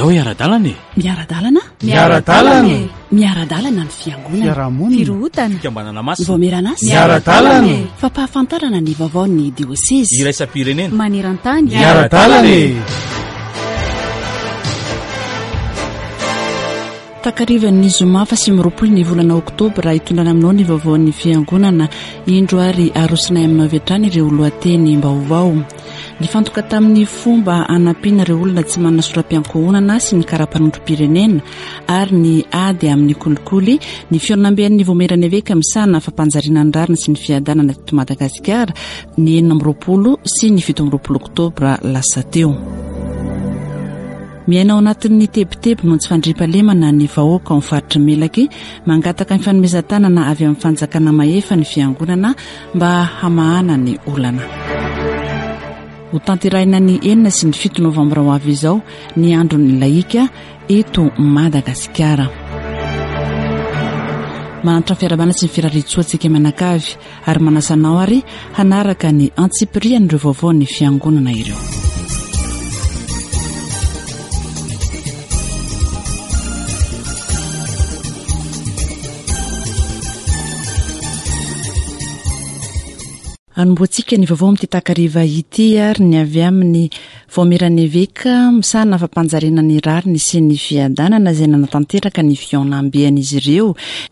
Andao hiara-dalana e! Miara-dalana? Miara-dalana e! Miara-dalana ny fiangonana. Fiarahamonina. Firohotana. Fikambanana masina. Vaomieran'asa. Miara-dalana e! Fampahafantarana ny vaovaon'ny diosezy. Iraisam-pirenena. Maneran-tany. Miara-dalana e! Takarivan'ny zoma faha 29 ny volana oktobra hitondrana aminao ny vaovaon'ny fiangonana. Indro ary arosonay aminao avy hatrany ireo lohatenim-baovao. Nifantoka tamin'ny fomba hanampiana ireo olona tsy manana soram-piankohonana sy ny kara-panondrom-pirenena ary ny ady amin'ny kolikoly ny fihaonamben'ny Voamieran'ny Eveka misahana fampanjariana ny rariny sy ny fiadanana teto Madagasikara ny 26 sy ny 27 oktobra lasa teo. Miaina ao anatin'ny tebiteby noho ny tsy fandriampahalemana ny vahoaka ao amin'ny faritry Melaky. Mangataka ny fanomezan-tanana avy amin'ny fanjakana mahefa ny fiangonana mba hamahana ny olana. Ho tanterahina ny enina sy ny fito novambra ho avy izao ny andron'ny lahika eto Madagasikara. Manantitra ny fiarahabana sy ny firariantsoa antsika mianakavy ary manasa anao ary hanaraka ny antsipirian'ireo vaovaon'ny fiangonana ireo. Anombohantsika ny vaovao amin'ity takariva ity ary ny avy amin'ny Vaomieran'ny Eveka misahana fampanjariana ny rariny sy ny fiadanana izay nanatanteraka ny fihaonambean'izy ireo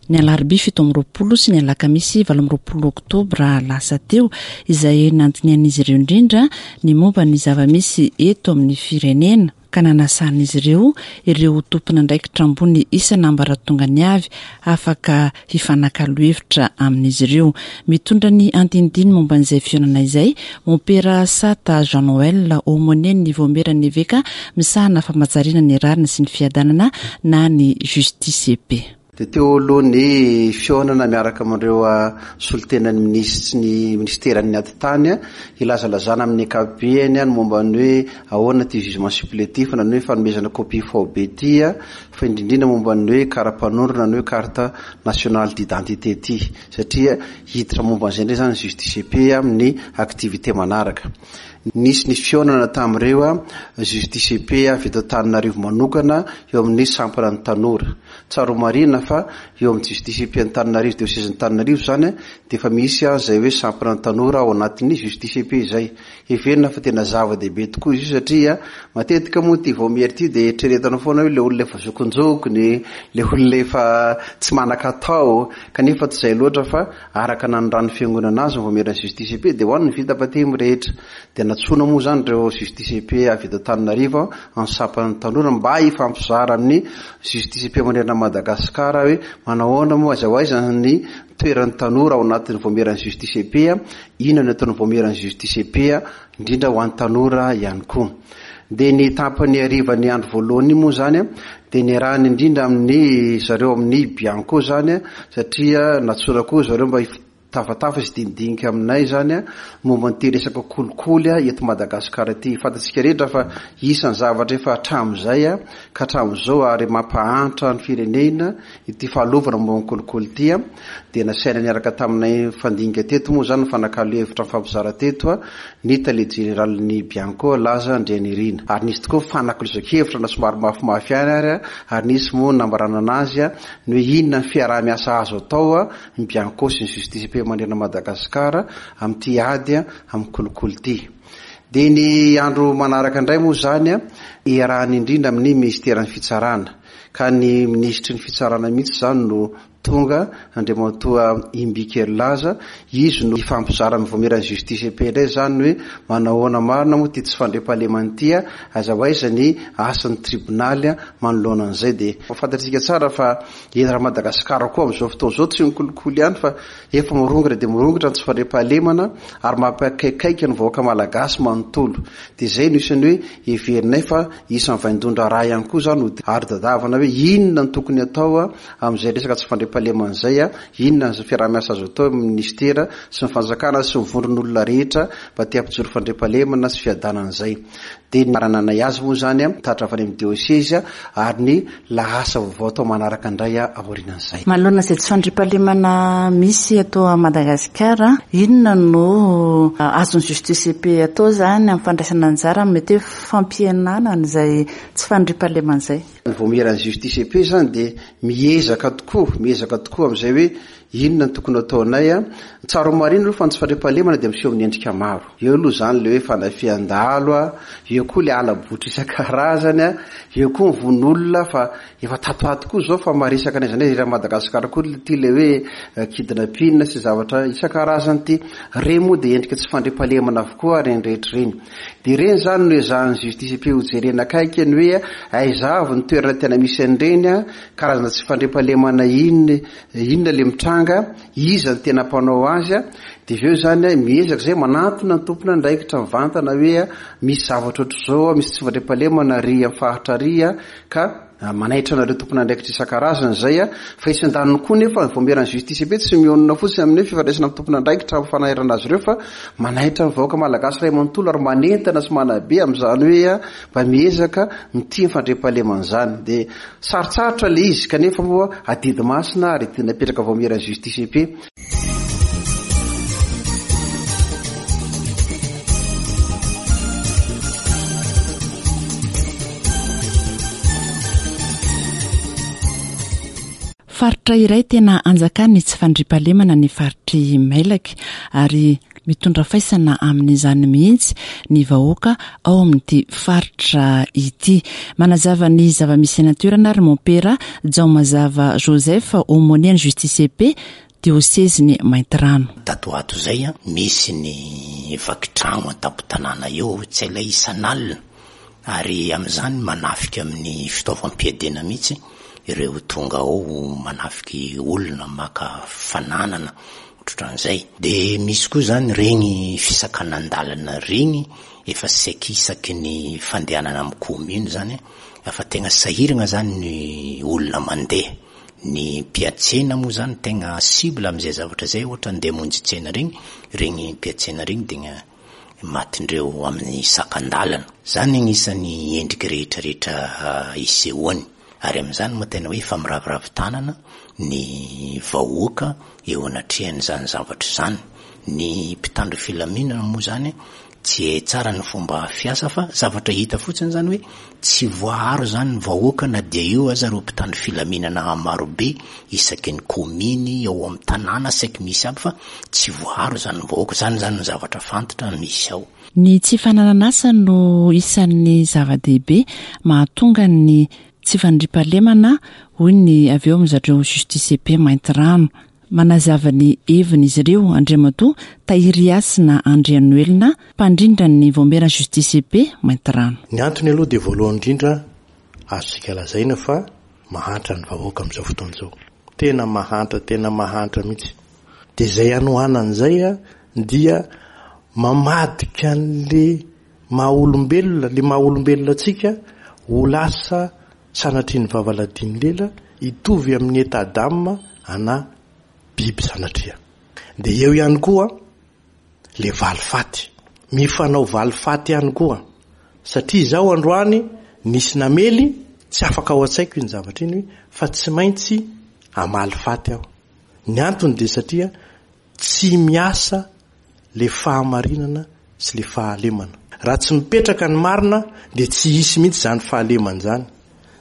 ny alarobia 27 sy ny alakamisy 28 oktobra lasa teo izay nandinihan'izy ireo indrindra ny momba ny zava-misy eto amin'ny firenena. ka nanasan'izy ireo ireo tompon'andraikitra ambony isan'ambaratongany avy afaka hifanakalo hevitra amin'izy ireo. Mitondra ny andinindiny momba an'izay fihaonana izay, Mompera Sata Jean Noël, Aumônier-n'ny Vaomieran'ny Eveka misahana famajariana ny rariny sy ny fiadanana na ny Justice et Paix. Dia teo aloha ny fihaonana miaraka amin'ireo solontenan'ny minisitry ny minisiteran'ny atitany hilazalazana amin'ny ankapobeny ny momba ny hoe ahoana ity jugement supplétif na ny hoe fanomezana copie faobe ity fa indrindrindra momba ny hoe kara-panondro na ny hoe carte nationale d'identité ity satria hiditra momba an'izay indray izany ny justice et paix amin'ny activité manaraka. Nisy ny fihaonana tamin'ireo justice et paix avy eto Antananarivo manokana eo amin'ny sampana ny tanora. Tsara ho marihina fa eo amin'ny Justice EP Antananarivo, Diosezin'i Antananarivo izany dia efa misy izay hoe sampana tanora ao anatin'ny Justice EP izay. Heverina fa tena zava-dehibe tokoa izy io satria matetika moa ity vaomiera ity dia eritreretana foana hoe ilay olona efa zokinjokiny, ilay olona efa tsy manan-katao kanefa tsy izay loatra fa araka nanoran'ny fiangonana azy ny vaomieran'ny Justice EP dia ho an'ny vita batemy rehetra. Dia nantsoina moa izany ireo Justice EP avy eto Antananarivo amin'ny sampan'ny tanora mba hifampizara amin'ny Justice EP manerana an'i Madagasikara hoe manahoana moa, aiza ho aiza ny toeran'ny tanora ao anatin'ny vaomieran'ny Justice EP, inona no ataon'ny vaomieran'ny Justice EP indrindra ho an'ny tanora ihany koa. Dia ny tapany harivan'ny andro voalohany iny moa izany dia niarahana indrindra amin'ny zareo amin'ny Bianco izany satria nantsoina koa zareo mba Tafatafa sy dinidinika aminay izany momba an'ity resaka kolikoly eto Madagasikara ity. Fantatsika rehetra fa isan'ny zavatra efa hatramin'izay ka hatramin'izao ary mampahantra ny firenena ity fahalovana momba ny kolikoly ity. Dia nasaina niaraka taminay nifandinika teto moa izany, nifanakalo hevitra nifampizara teto ny tale jeneralin'ny Bianco, Laza Andrianirina. Ary nisy tokoa fanakalozan-kevitra na somary mafimafy ihany ary, ary nisy moa nambaranana azy ny hoe inona ny fiaraha-miasa azo atao ny Bianco sy ny Justice et Paix manerana Madagascar amin'ity ady amin'ny kolikoly ity. Dia ny andro manaraka indray moa izany iarahana indrindra amin'ny Minisiteran'ny Fitsarana, ka ny Minisitry ny Fitsarana mihitsy izany no tonga, Andriamatoa Imbiky Herilaza, izy no hifampizara amin'ny Vaomieran'ny Justice et Paix indray izany hoe manahoana marina moa ity tsy fandriampahalemana ity, aiza ho aiza ny asan'ny tribonaly manoloana an'izay. Dia fantatsika tsara fa Eto raha Madagasikara koa amin'izao fotoana izao tsy ny kolikoly ihany fa efa mirongatra dia mirongatra ny tsy fandriampahalemana ary mampikaikaika ny vahoaka malagasy manontolo. Dia izay no isan'ny hoe heverinay fa isan'ny vaindohan-draharaha ihany koa izany ho ary tadiavana hoe inona no tokony atao amin'izay resaka tsy fandriampahalemana izay, inona ny fiaraha-miasa azo atao amin'ny minisitera sy ny fanjakana sy ny vondron'olona rehetra mba te hampijoro fandriampahalemana sy fiadanana izay. Dia ny marananay azy moa izany tatitra avy any amin'ny diosezy ary ny lahasa vaovao atao manaraka indray aorianan'izay. Manoloana izay tsy fandriampahalemana misy eto Madagasikara, inona no azon'ny Justice et Paix atao izany amin'ny fandraisana anjara amin'ny mety hoe fampihenana an'izay tsy fandriampahalemana izay? Ny vaomieran'ny Justice et Paix izany dia miezaka tokoa, miezaka tokoa amin'izay hoe inona no tokony hataonay. Ny tsara ho marihina aloha fa ny tsy fandriampahalemana dia miseho amin'ny endrika maro. Eo aloha izany ilay hoe fanafihan-dahalo, eo koa ilay hala-botry isan-karazany, eo koa ny vono olona fa efa tato ho ato koa izao fa maresaka n'aiza n'aiza eran'i Madagasikara koa ity ilay hoe kidnapping sy zavatra isan-karazany ity. Ireny moa dia endrika tsy fandriampahalemana avokoa ireny rehetra ireny. Dia ireny izany no ezahan'ny justice et paix hojerena akaiky ny hoe aiza avy ny toerana tena misy an'ireny, karazana tsy fandriampahalemana inona inona ilay mitranga, iza no tena mpanao azy, dia avy eo izany miezaka izay manantona ny tompon'andraikitra mivantana hoe misy zavatra ohatr'izao, misy tsy fandriampahalemana ary amin'ny faritra ary ka manaitra anareo tompon'andraikitra isan-karazany izay, fa etsy andaniny koa nefa ny vaomieran'ny justice et paix tsy mionona fotsiny amin'ny hoe fifandraisana amin'ny tompon'andraikitra amin'ny fanairana azy ireo fa manaitra ny vahoaka malagasy iray manontolo ary manentana sy manabe amin'izany hoe mba miezaka mitia ny fandriampahalemana izany. Dia sarotsarotra ilay izy kanefa moa adidy masina ary adidy napetraka vaomieran'ny justice et paix. Faritra iray tena anjakan'ny tsy fandriampahalemana ny faritr'i Mailaky ary mitondra faisana amin'izany mihitsy ny vahoaka ao amin'ity faritra ity. Manazava ny zava-misy any an-toerana ary Mompera Jaomazava Joseph, aumônier ny Justice et Paix, diosezin'i Maintirano. Tato ho ato izay, misy ny vaky tragno an-tampon-tanàna eo, tsy hay isan'alina, ary amin'izany manafika amin'ny fitaovam-piadiana mihitsy ireo tonga ao manafiky olona, maka fananana, ohatrohatran'izay. Dia misy koa izany ireny fisakanan-dalana ireny, efa saiky isaky ny fandehanana amin'ny commune izany, efa tegna sahiragna izany ny olona mandeha. Ny mpiantsena moa izany tegna cible amin'izay zavatra izay, ohatra andeha hamonjy tsena regny, regny mpiantsena regny tegna matin-dreo amin'ny sakan-dalana. Izany agnisan'ny endriky rehetra rehetra isehoany. Ary amin'izany moa tena hoe efa miraviravy tanana ny vahoaka eo anatrehan'izany zavatra izany. Ny mpitandro filaminana moa izany tsy hay tsara ny fomba fiasa fa zavatra hita fotsiny izany hoe tsy voaaro izany ny vahoaka na dia eo aza ireo mpitandro filaminana marobe isaky ny kaominy, ao amin'ny tanàna saiky misy aby fa tsy voaaro izany ny vahoaka. Izany izany no zavatra fantatra misy ao. Ny tsy fananan'asa no isan'ny zava-dehibe mahatonga ny tsy fandriampahalemana hoy ny avy eo amin-dry zareo Justice et Paix Maintirano. Manazava ny heviny izy ireo Andriamatoa Tahirihasina Andrianoelina, mpandrindra ny Vaomiera Justice et Paix Maintirano. Ny antony aloha dia voalohany indrindra azontsika lazaina fa mahantra ny vahoaka amin'izao fotoana izao. Tena mahantra, tena mahantra mihitsy. Dia izay hanohanana izay dia mamadika an'le maha olombelona, le maha olombelona antsika ho lasa sanatria ny vava ladin'ny lela hitovy amin'ny état d'âme ana biby sanatria. Dia eo ihany koa le valifaty. Mifanao valifaty ihany koa. Satria izaho androany nisy namely, tsy afaka ao an-tsaiko iny zavatra iny fa tsy maintsy hamaly faty aho. Ny antony dia satria tsy miasa le fahamarinana sy le fahalemana. Raha tsy mipetraka ny marina dia tsy hisy mihitsy izany fahalemana izany.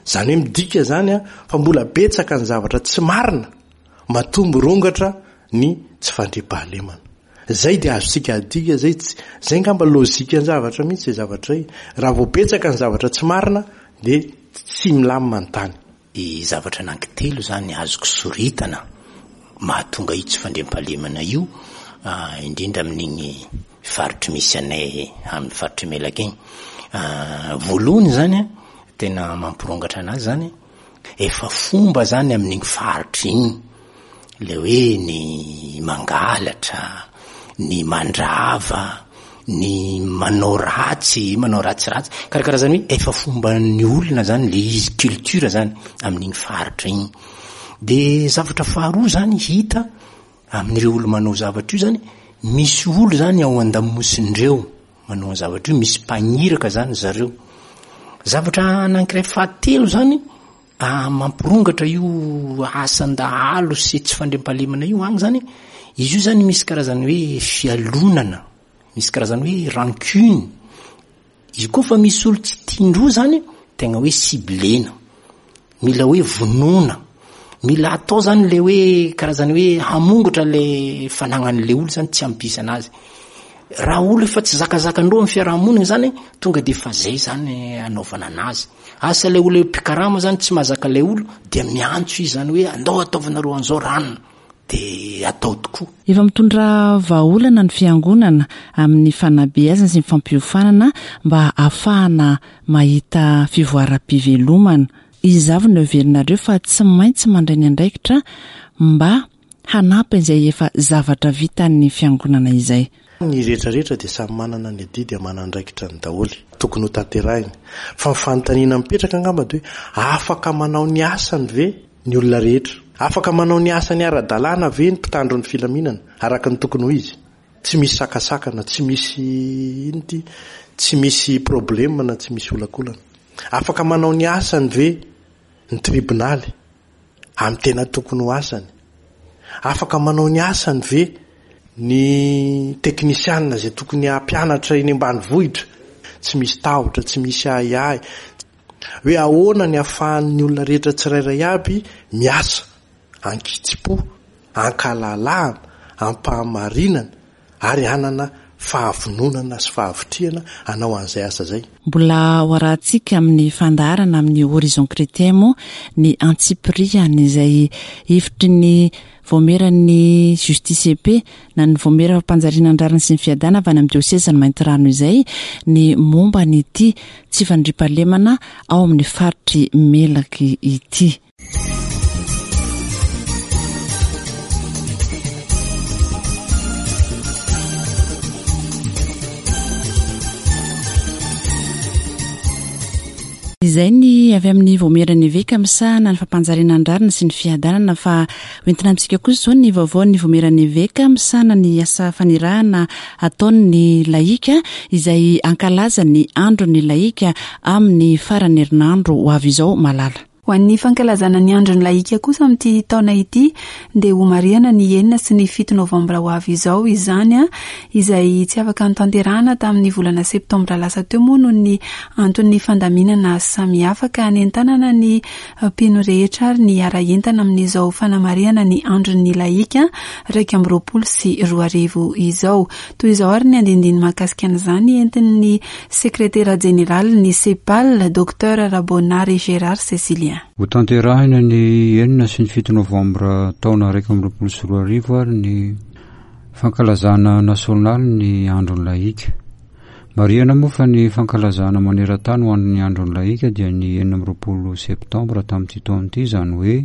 Izany hoe midika izany fa mbola betsaka ny zavatra tsy marina matoa mirongatra ny tsy fandriampahalemana. Izay dia azontsika adika izay, izay angamba lojikan-javatra mihitsy izay zavatra izay. Raha vao betsaka ny zavatra tsy marina dia tsy milamina ny tany. Ny zavatra anankitelo izany azoko soritana mahatonga io tsy fandriampahalemana io, indrindra amin'iny faritry misy anay amin'ny faritr'i Melaky iny. Voalohany izany an, tena mampirongatra anazy izany, efa fomba izany amin'iny faritra iny. Ilay hoe ny mangalatra, ny mandrava, ny manao ratsy, manao ratsiratsy, karakarazany hoe efa fomban'ny olona zany le izy, culture zany amin'iny faritra iny. De zavatra faharoa zany hita amin'ireo olo manao zavatra io zany, misy olo zany ao an-damosindreo. manao ny zavatra io, misy mpagniraka zany zareo. Zavatra anankiray fahatelo zany mampirongatra io asan-dahalo sy tsy fandriampahalemana io agny zany, izy io zany misy karazany hoe fialonana, misy karazany hoe rancune, Izy koa fa misy olo tsy tian-droa zany, tegna hoe ciblena. Mila hoe vonoina. Mila atao zany le hoe karazany hoe hamongotra le fanagnan'le olo zany tsy hampisy anazy. Raha olo efa tsy zakazakandreo amin'ny fiarahamonina zany, tonga de efa zay zany anaovana anazy. Asa le olo mpikarama zany tsy mahazaka le olo, dia miantso izy zany hoe andao ataovanareo an'izao ranona. Dia atao tokoa. Efa mitondra vahaolana ny fiangonana amin'ny fanabeazana sy ny fampiofanana mba hahafahana mahita fivoaram-pivelomana. Iza avy no heverinareo fa tsy maintsy mandray ny andraikitra mba hanampy an'izay efa zavatra vitan'ny fiangonana izay? Ny rehetra rehetra dia samy manana ny adidy aman'andraikitrany daholo tokony ho tanterahiny. Fa ny fanontaniana mipetraka angamba dia hoe afaka manao ny asany ve ny olona rehetra? Afaka manao ny asany ara-dalàna ve ny mpitandro ny filaminana araka ny tokony ho izy? Tsy misy sakasakana, tsy misy inona ity, tsy misy problème na tsy misy olakolana. Afaka manao ny asany ve ny tribonaly amin'ny tena tokony ho asany? Afaka manao ny asany ve ny teknisianina izay tokony hampianatra eny ambanivohitra? Tsy misy tahotra, tsy misy ahiahy. Hoe ahoana ny ahafahan'ny olona rehetra tsirairay aby miasa an-kitsim-po, an-kalalahana, am-pahamarinana ary hanana fahavononana sy fahavitrihana hanao an'izay asa izay. Mbola ho arahantsika amin'ny fandaharana amin'ny Horizon Chrétien moa ny antsipiriany izay hevitry ny Vaomieran'ny Justice et Paix na ny Vaomiera fampanjariana ny rariny sy ny fiadana avy any amin'ny diosezin'i Maintirano izay ny momba an'ity tsy fandriampahalemana ao amin'ny faritr'i Melaky ity. Izay ny avy amin'ny Vaomieran'ny Eveka misahana ny fampanjariana ny rariny sy ny fiadanana fa hoentina amintsika kosa izao ny vaovaon'ny Vaomieran'ny Eveka misahana ny asa fanirahana ataon'ny lahika izay hankalaza ny andron'ny lahika amin'ny faran'ny herinandro ho avy izao. Malala. Ho an'ny fankalazana ny andron'ny lahika kosa amin'ity taona ity dia homarihana ny enina sy ny fito novambra ho avy izao izany, izay tsy afaka notanterahana tamin'ny volana septambra lasa teo moa noho ny anton'ny fandaminana samihafa ka hanentanana ny mpino rehetra ary ny hiara-hientana amin'izao fanamarihana ny andron'ny lahika 2021 izao. Toy izao ary ny andinindiny mahakasika an'izany entin'ny Sekretera jeneralin'ny Cepal, Docteur Raboanary Gérard Cécilien. Hotanterahina ny enina sy ny fito novambra taona 2021 ary ny fankalazana nasionaly ny Andron'ny Lahika. Marihana moa fa ny fankalazana maneran-tany ho an'ny Andron'ny Lahika dia ny 26 septambra tamin'ity taona ity, izany hoe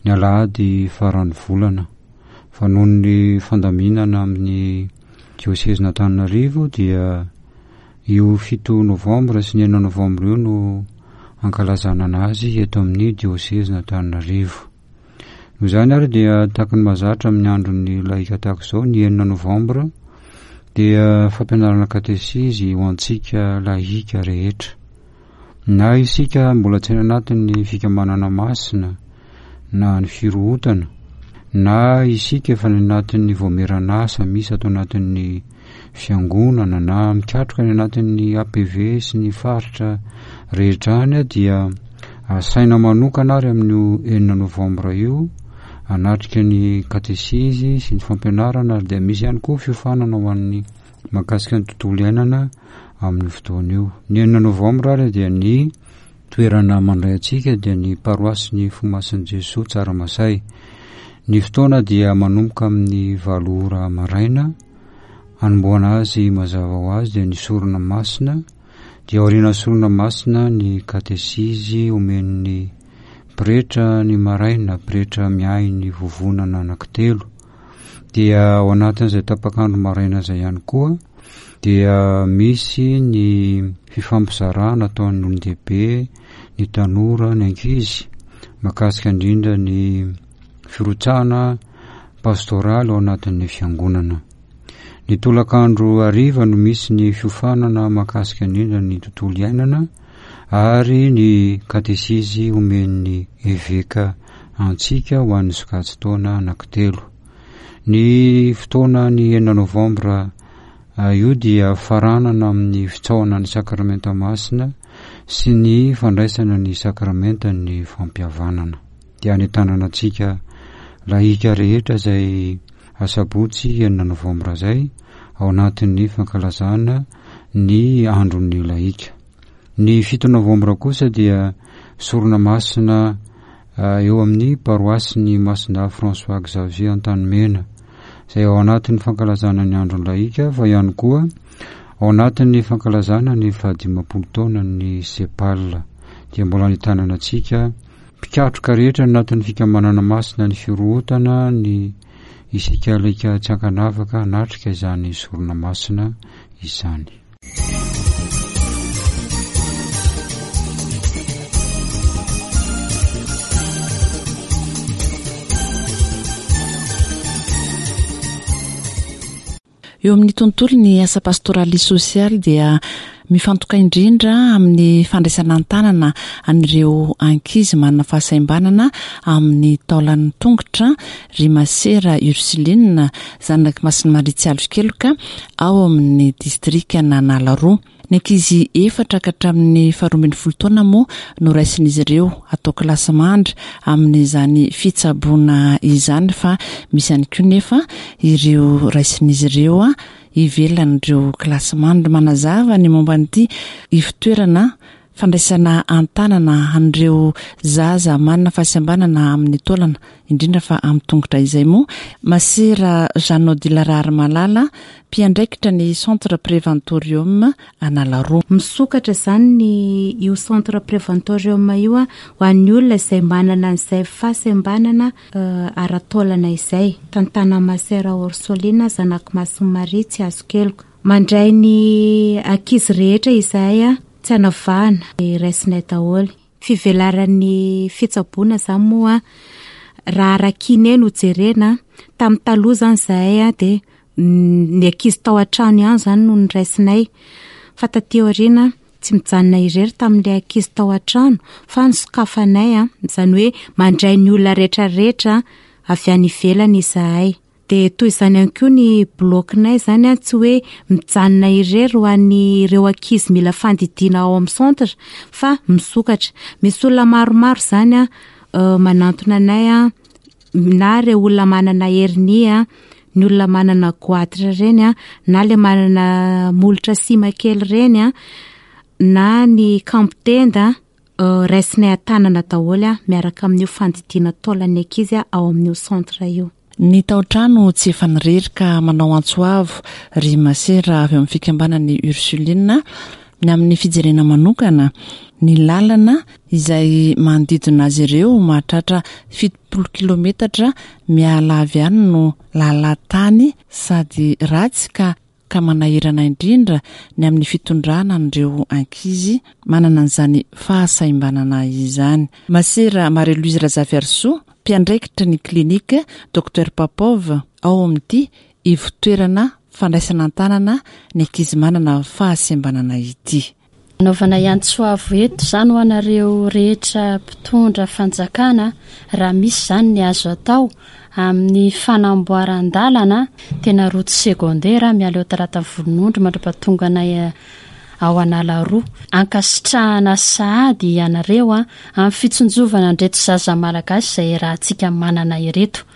ny alahady faran'ny volana. Fa noho ny fandaminana amin'ny diosezin'Antananarivo dia io fito novambra sy ny enina novambra io no ankalazana anazy eto amin'ny diosezin'Antananarivo. Noho izany ary dia tahaka ny mahazatra amin'ny andron'ny lahika tahaka izao ny enina novambra dia fampianarana katesizy ho antsika lahika rehetra. Na isika mbola tsy any anatin'ny fikambanana masina na ny firohotana, na isika efa any anatin'ny vaomieran'asa misy ato anatin'ny fiangonana na mikatroka any anatin'ny APV sy ny faritra rehetra any dia asaina manokana ary amin'io enina novambra io hanatrika ny katesizy sy ny fampianarana ary dia misy ihany koa fiofanana ho an'ny mahakasika ny tontolo iainana amin'io fotoana io. Ny enina novambra ary dia ny toerana mandray antsika dia ny paroasin'ny Fomasin'i Jesoa Tsaramasay. Ny fotoana dia manomboka amin'ny valo ora maraina, hanombohana azy mazava ho azy dia ny sorona masina, dia aorian'ny sorona masina ny katesizy omen'ny pretra ny maraina, pretra miahy ny vovonana anankitelo. Dia ao anatin'izay tapak'andro maraina izay ihany koa dia misy ny fifampizarana ataon'ny olon-dehibe, ny tanora, ny ankizy mahakasika indrindra ny firotsahana pastoraly ao anatin'ny fiangonana. Ny tolakandro hariva no misy ny fiofanana mahakasika indrindra ny tontolo iainana ary ny katesizy omen'ny eveka antsika ho an'ny sokajin-taona anankitelo. Ny fotoana ny enina novambra io dia faranana amin'ny fitsaohana ny sakramenta masina sy ny fandraisana ny sakramentan'ny fampihavanana. Dia anentanana antsika lahika rehetra izay Asabotsy enina novambra izay, ao anatin'ny fankalazana ny andron'ny lahika. Ny fito novambra kosa dia sorona masina eo amin'ny paroasin'ny Masindahy François Xavier Antanimena, izay ao anatin'ny fankalazana ny andron'ny lahika fa ihany koa ao anatin'ny fankalazana ny fahadimampolo taonan'ny Sepal. Dia mbola anentanana antsika Mpikatroka rehetra anatin'ny fikambanana masina ny firohotana ny isika alika tsy ankanavaka hanatrika izany sorona masina izany. Eo amin'ny tontolon'ny asa pastoraly sosialy dia mifantoka indrindra amin'ny fandraisana an-tanana an'ireo ankizy manana fahasaimbanana amin'ny taolan'ny tongotra ry Masera Ursuline, zanak'i Masin'i Maria Tsialokeloka, ao amin'ny distrikan'Analaroa. Ny ankizy efatra ka hatramin'ny faharoa ambin'ny folo taona moa no raisin'izy ireo atao kilasimandry amin'izany fitsaboana izany fa misy ihany koa nefa ireo raisin'izy ireo ivelan'ireo kilasimandry. Manazava ny momba an'ity ivotoerana fandraisana an-tanana an'ireo zaza manana fahasembanana amin'ny taolana indrindra fa amin'ny tongotra izay moa Masera Jeanne Odile Raharimalala, mpiandraikitra ny Centre Préventorium Analaroa. Misokatra izany ny io Centre Préventorium io ho an'ny olona izay manana an'izay fahasembanana ara-taolana izay. Tantanan'i Masera Orsolina, zanak'i Masin'i Maria tsy azo keloka. Mandray ny ankizy rehetra izahay tsy anavahana, raisinay daholo. Fivelaran'ny fitsaboana izany moa raha ara-kiné no jerena, tamin'ny taloha izany izahay dia ny ankizy tao an-trano ihany izany no noraisinay fa taty aoriana tsy mijanona irery tamin'ilay ankizy tao an-trano fa nosokafanay, izany hoe mandray ny olona rehetra rehetra avy any ivelany izahay. Dia toy izany ihany koa ny bloc-nay izany an, tsy hoe mijanona irery ho an'ireo ankizy mila fandidiana ao amin'ny centre fa misokatra. Misy olona maromaro izany an, manantona anay an, na ireo olona manana hernie an, ny olona manana goitre ireny an, na ilay manana molotra sima kely ireny an, na ny kambo-tenda. Raisinay an-tanana daholo miaraka amin'io fandidiana taolan'ny ankizy ao amin'io centre io. Ny tao-trano tsy efa nirery ka manao antso avo ry masera avy ao amin'ny fikambanan'ny Ursuline ny amin'ny fijerena manokana ny lalana izay manodidina azy ireo mahatratra 70 kilometatra miala avy any no lalan-tany sady ratsy ka ka manahirana indrindra ny amin'ny fitondrana an'ireo ankizy manana an'izany fahasaimbanana izany. Masera Marie Louise Razafiarisoa, mpiandraikitra ny Clinique Docteur Popov ao amin'ity ivotoerana fandraisana an-tanana ny ankizy manana fahasembanana ity. Anaovanay antso avo eto izany ho anareo rehetra mpitondra fanjakana raha misy izany ny azo atao amin'ny fanamboaran-dalana tena route secondaire miala eo Talata Volonondry mandrapatonga anay ao Analaroa. Ankasitrahana sahady ianareo amin'ny fitsinjovana an'ireto zaza malagasy izay iarahantsika manana ireto.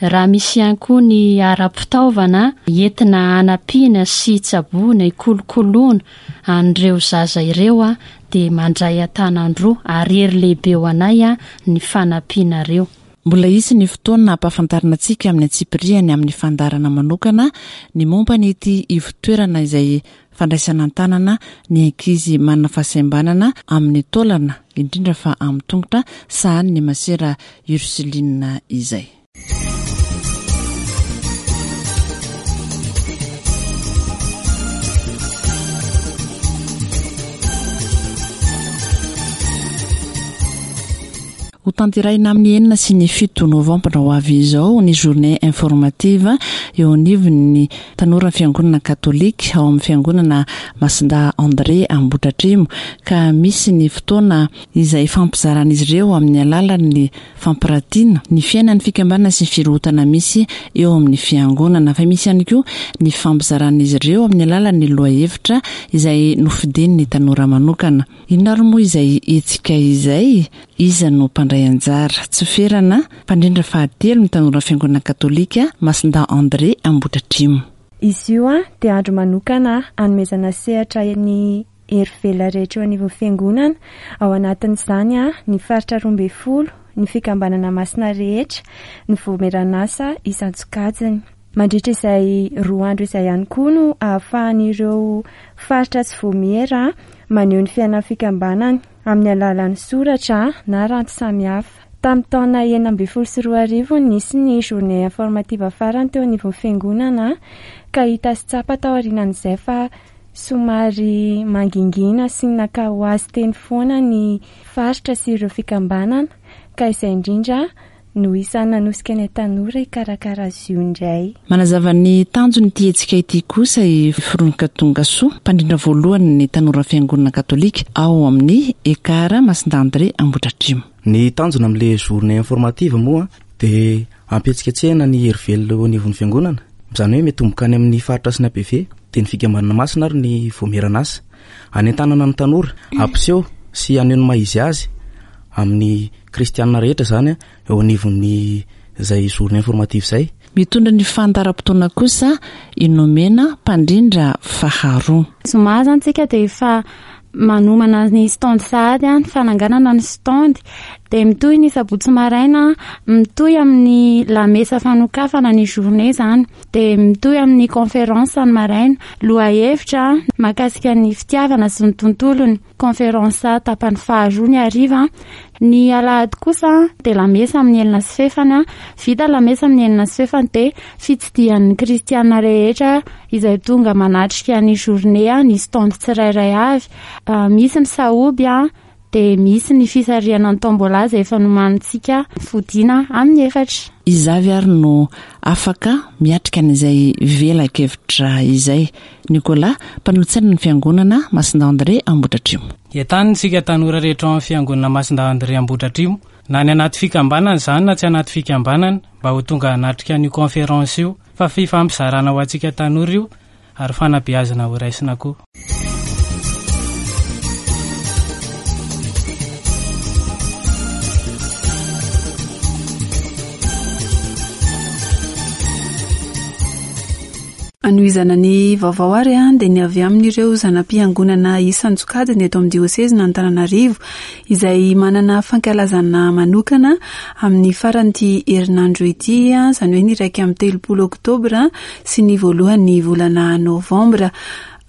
Raha misy ihany koa ny ara-pitaovana entina hanampiana sy hitsaboana, hikolokoloana an'ireo zaza ireo dia mandray an-tanan-droa ary hery lehibe ho anay ny fanampianareo. Mbola hisy ny fotoana hampahafantarina antsika amin'ny antsipiriany amin'ny fandaharana manokana ny momba ny ity ivotoerana izay fandraisana an-tanana ny ankizy manana fahasembanana amin'ny taolana, indrindra fa amin'ny tongotra, sahanin'ny masera Ursuline izay. Hotanterahina amin'ny enina sy ny fito novambra ho avy izao ny journée informative. eo anivon'ny tanoran'ny Fiangonana Katolika ao amin'ny Fiangonana Masindahy André Ambohidratrimo ka misy ny fotoana izay ifampizaran'izy ireo amin'ny alalan'ny fampiratiana ny fiainan'ny fikambanana sy ny firohotana misy eo amin'ny fiangonana fa misy ihany koa ny fifampizaran'izy ireo amin'ny alalan'ny lohahevitra izay nofidian'ny tanora manokana. Inona ary moa izay hetsika izay? Iza no mpandray anjara? Tsy ferana, mpandrindra fahatelo ny tanora fiangonana katolika Masindahy André Ambohidratrimo. Izy io dia andro manokana hanomezana sehatra ny hery velona rehetra eo anivon'ny Fiangonana, ao anatin'izany ny faritra 12, ny fikambanana masina rehetra, ny voamieran'asa isan-tsokajiny. Mandritra izay roa andro izay ihany koa no ahafahan'ireo faritra sy voamiera maneho ny fiainan'ny fikambanany amin'ny alalan'ny soratra na ranty samihafa. Tamin'ny taona 2016 no nisy ny journée informative farany teo anivon'ny fiangonana ka hita sy tsapa taorianan'izay fa somary mangingina sy naka ho azy teny foana ny faritra sy ireo fikambanana ka izay indrindra no isan'ny nanosika anay tanora hikarakara azy io indray. Manazava ny tanjon'ity hetsika ity kosa i Fironka Tongasoa, mpandrindra voalohany ny Tanora Fiangonana Katolika ao amin'ny Ekar Masindahy André Ambohidratrimo. Ny tanjona amin'ilay journée informative moa dia hampihetsiketsehana ny hery velona eo anivon'ny fiangonana, izany hoe mitomboka any amin'ny faritra sy ny APV, dia ny fikambanana masina ary ny voamieran'asa. Hanentanana ny tanora, hampiseho sy haneho ny maha izy azy amin'ny kristianina rehetra izany eo anivon'ny izay journée informative izay. Mitondra ny fandaharam-potoana kosa i Nomena, mpandrindra faharoa. Zoma izany tsika dia efa manomana ny stand sahady, ny fananganana ny stand. Dia mitohy ny sabotsy maraina, mitohy amin'ny lamesa fanokafana ny journée izany. Dia mitohy amin'ny conférence ny maraina, lohahevitra mahakasika ny fitiavana sy ny tontolony. Conférence tapany faharoa ny hariva. Ny alahady kosa dia lamesa amin'ny enina sy fefany. Vita lamesa amin'ny enina sy fefany dia fitsidihan'ny kristiana rehetra izay tonga manatrika ny journée ny stand tsirairay avy. Misy ny sahoby dia misy ny fisarihana ny tombola izay efa nomanintsika fodiana amin'ny efatra. Iza avy ary no afaka miatrika an'izay velakevitra izay? Nicolas, mpanolotsaina ny Fiangonana Masindahy André Ambohidratrimo. Entanina isika tanora rehetra ao amin'ny Fiangonana Masindahy André Ambohidratrimo, na any anaty fikambanana izany na tsy anaty fikambanana, mba ho tonga hanatrika an'io conférence io, fa fifampizarana ho antsika tanora io ary fanabeazana ho raisina koa. Anohizana ny vaovao ary dia ny avy amin'ireo zana-piangonana isan-tsokajiny eto amin'ny diosezin'Antananarivo izay manana fankalazana manokana amin'ny faran'ity herinandro ity, izany hoe ny 31 oktobra sy ny voalohan'ny volana novambra.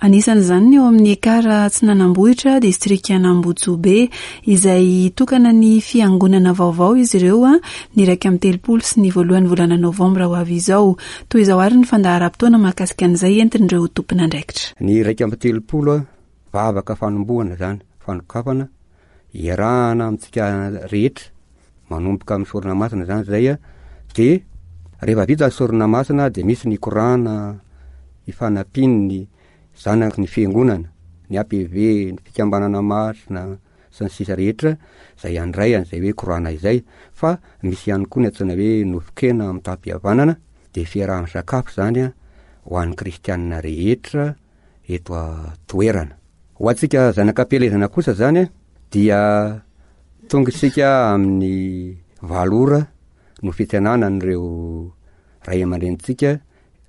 Anisan'izany ny eo amin'ny Ekar Atsinanambohitra, distrikan'Ambotsobe, izay hitokana ny fiangonana vaovao izy ireo ny 31 sy ny voalohan'ny volana novambra ho avy izao. Toy izao àry ny fandaharam-potoana mahakasika an'izay entin'ireo tompon'andraikitra. Ny 31, vavaka fanombohana izany, fanokafana, iarahana amintsika rehetra, manomboka amin'ny sorona masina izany izay, dia rehefa vita ny sorona masina dia misy ny korana ifanampian'ny zanaky ny fiangonana, ny APV, ny fikambanana masina sy ny sisa rehetra izay handray an'izay hoe korana izay, fa misy ihany koa ny antsoina hoe nofon-kena mitam-pihavanana, dia fiaraha-misakafo izany ho an'ny kristianina rehetra eto an-toerana. Ho antsika zanak'ampielezana kosa izany dia tonga isika amin'ny valo ora no fitsenana an'ireo ray aman-drenintsika,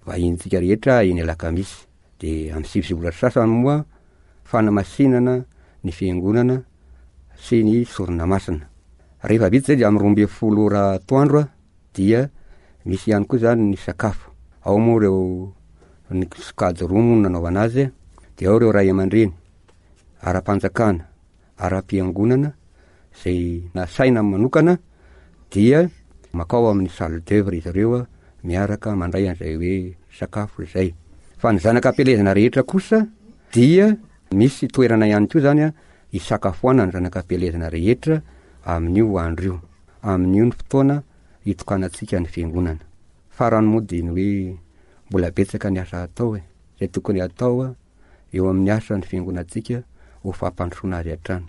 vahinintsika rehetra eny Alakamisy. Dia amin'ny sivy sy ora sasany moa fanamasinana ny fiangonana sy ny sorona masina. Rehefa vita izay dia amin'ny 12 ora atoandro dia misy ihany koa izany ny sakafo. Ao moa ireo ny sokajy roa moa no nanaovana azy, dia ao ireo ray aman-dreny ara-panjakana, ara-piangonana izay nasaina manokana dia makao amin'ny salle d'oeuvre izy ireo miaraka mandray an'izay hoe sakafo izay. Fa ny zanaka am-pielezana rehetra kosa dia misy toerana ihany koa izany hisakafoanan'ny zanaka am-pielezana rehetra amin'io andro io. Amin'io ny fotoana hitokanantsika ny fiangonana. Farany moa dia ny hoe. Mbola betsaka ny asa atao e! Izay tokony hatao eo amin'ny asan'ny fiangonantsika ho fampandrosoana azy hatrany.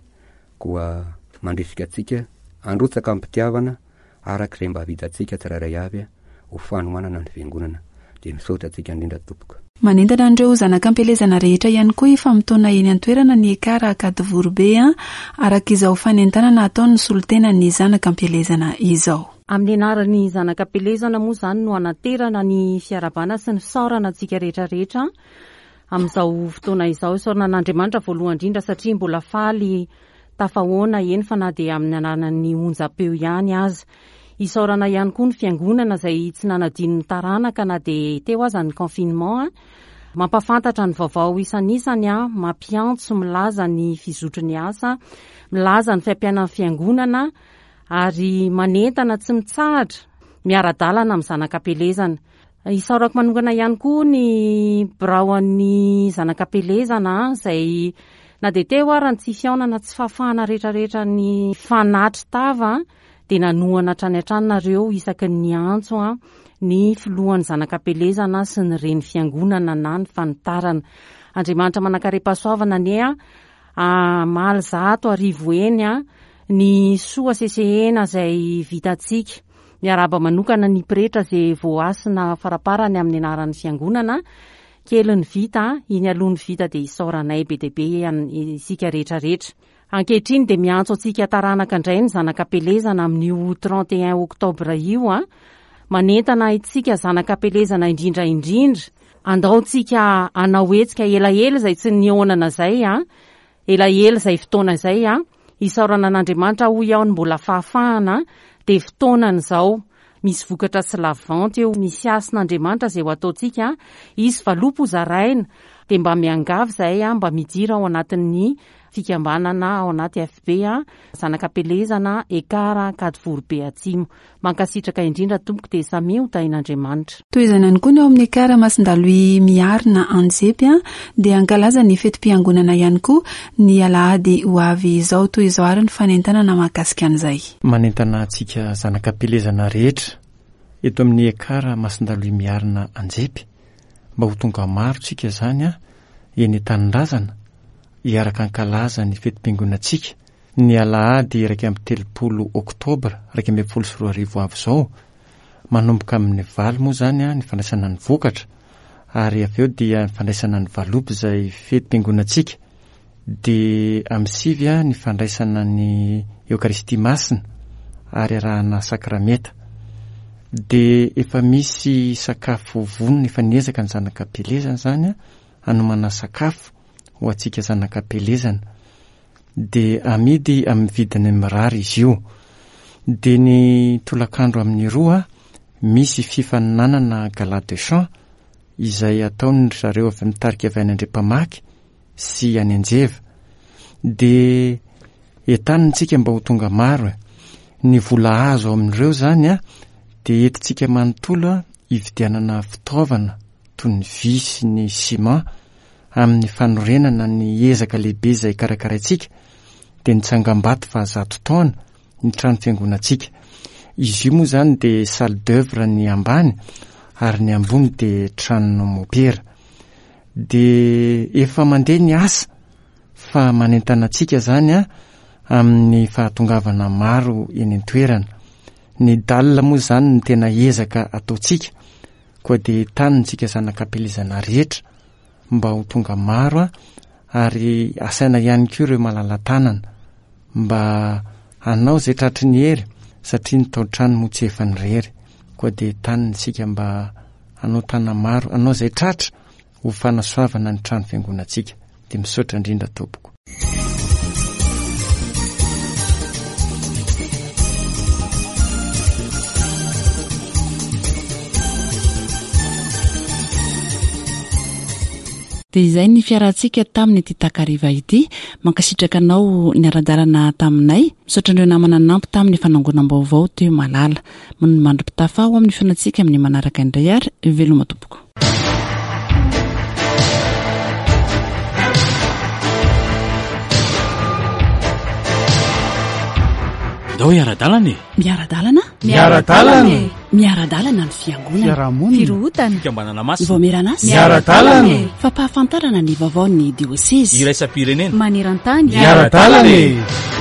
Koa mandrisika antsika handrotsaka am-pitiavana araka izay mba vitantsika tsirairay avy ho fanohanana ny fiangonana. Dia misaotra antsika indrindra tompoko. Manentana an'ireo zanak'ampielezana rehetra ihany koa hifamotoana eny an-toerana ny Ekar Ankadivoribe araka izao fanentanana ataon'ny solontenan'ny zanak'ampielezana izao. Amin'ny anaran'ny zanak'ampielezana moa izany no anaterana ny fiarahabana sy ny fisaorana antsika rehetra rehetra amin'izao fotoana izao. Isaorana an'Andriamanitra voalohany indrindra satria mbola faly tafahoana eny fa na dia amin'ny anaran'ny onjam-peo ihany aza. Isaorana ihany koa ny fiangonana izay tsy nanadino ny taranaka na dia teo aza ny confinement. Mampahafantatra ny vaovao isanisany, mampiantso, milaza ny fizotry ny asa, milaza ny fiampianan'ny fiangonana ary manentana tsy mitsahatra miara-dalana amin'ny zanak'ampielezana. Isaorako manokana ihany koa ny biraon'ny zanak'ampielezana izay na dia teo ara ny tsy fihaonana tsy fahafahana rehetrarehetra ny fanatry tava dia nanohana hatrany hatrany nareo isaky ny niantso ny filohan'ny zanak'ampielezana sy ny reny fiangonana na ny fanitarana. Andriamanitra manankarem-pahasoavana anie hamaly 1100 eny ny soa sesehena izay vitantsika. Miarahaba manokana ny pretra izay voahasina faraparany amin'ny anaran'ny fiangonana. Kely ny vita, iny aloha ny vita dia isaoranay be dia be isika rehetra rehetra. Ankehitriny dia miantso antsika taranaka indray ny zanak'Ampelezana amin'io 31 octobre io. Manentana antsika zanak'Ampelezana indrindra indrindra. Andao tsika hanao hetsika elaela izay tsy nihaonana izay. Elaela izay fotoana izay. Isaorana an'Andriamanitra hoy aho ny mbola fahafahana dia fotoanany izao. Misy vokatra tsy lavanty eo, misy hasin'Andriamanitra izay ho ataontsika, hisy valopy ho zaraina, dia mba miangavy izahay mba midira ao anatin'ny fikambanana ao anaty FB, Zanak'Ampelezana, Ekar, Ankadivoribe Atsimo. Mankasitraka indrindra tompoko dia samia ho tahin'Andriamanitra. Tohizana ihany koa ny ao amin'ny Ekar Masindalohy Miarina Anjepy dia hankalaza ny fetim-piangonana ihany koa ny alahady ho avy izao. Toy izao ary ny fanentanana mahakasika an'izay. Manentana antsika zanak'ampielezana rehetra eto amin'ny Ekar Masindalohy Miarina Anjepy mba ho tonga maro tsika izany eny an-tanindrazana hiaraka hankalaza ny fetim-piangonantsika Ny alahady 31 oktobra 2011 ho avy izao, manomboka amin'ny valo moa izany ny fandraisana ny vokatra ary avy eo dia ny fandraisana ny valopy izay fetim-piangonantsika dia amin'ny sivy ny fandraisana ny Eokaristia Masina ary arahana sakrameta. Dia efa misy sakafo vonona efa niezaka ny zanak'Ampielezana izany hanomana sakafo ho antsika zanak'Ampielezana. dia amidy amin'ny vidiny mirary izy io. Dia ny tolakandro amin'ny roa, misy fifaninanana gala de chant izay ataon'ny ry zareo avy amin'ny tarika avy any Andriampamaky sy any Anjeva. Dia entanina isika mba ho tonga maro e. Ny vola azo amin'ireo izany a, dia entintsika manontolo hividianana fitaovana toy ny vy sy ny ciment amin'ny fanorenana ny ezaka lehibe izay karakaraintsika dia ny tsangambato fahazato taona ny trano fiangonantsika. Izy io moa izany dia salle d'oeuvre ny ambany ary ny ambony dia tranon'ny mopera. Dia efa mandeha ny asa fa manentana antsika izany a amin'ny fahatongavana maro eny an-toerana. Ny dalle moa izany no tena ezaka ataontsika koa dia entanintsika zanak'Ampielezana rehetra mba ho tonga maro ary asaina ihany koa ireo malala-tanana mba hanao izay tratry ny hery satria ny tao-trano moa tsy efa ny rery koa dia entanina isika mba hanao tana-maro hanao izay tratra ho fanasoavana ny trano fiangonantsika dia misaotra indrindra tompoko. Dia izay ny fiarahantsika tamin'ity takariva ity. Mankasitraka anao niara-dalana taminay. Misaotra an'ireo namana nanampy tamin'ny fanangonam-baovao teo Malala. Mandra-pitafa ho amin'ny fihaonantsika amin'ny manaraka indray ary veloma tompoko. Ndao hiara-dalana e! Miara-dalana? Miara-dalana e! Miara-dalana ny fiangonana. Fiarahamonina. Firohotana. Fikambanana masina. Ny vaomieran'asa. Miara-dalana e! Fampahafantarana ny vaovaon'ny diosezy. Iraisam-pirenena. Maneran-tany. Miara-dalana e!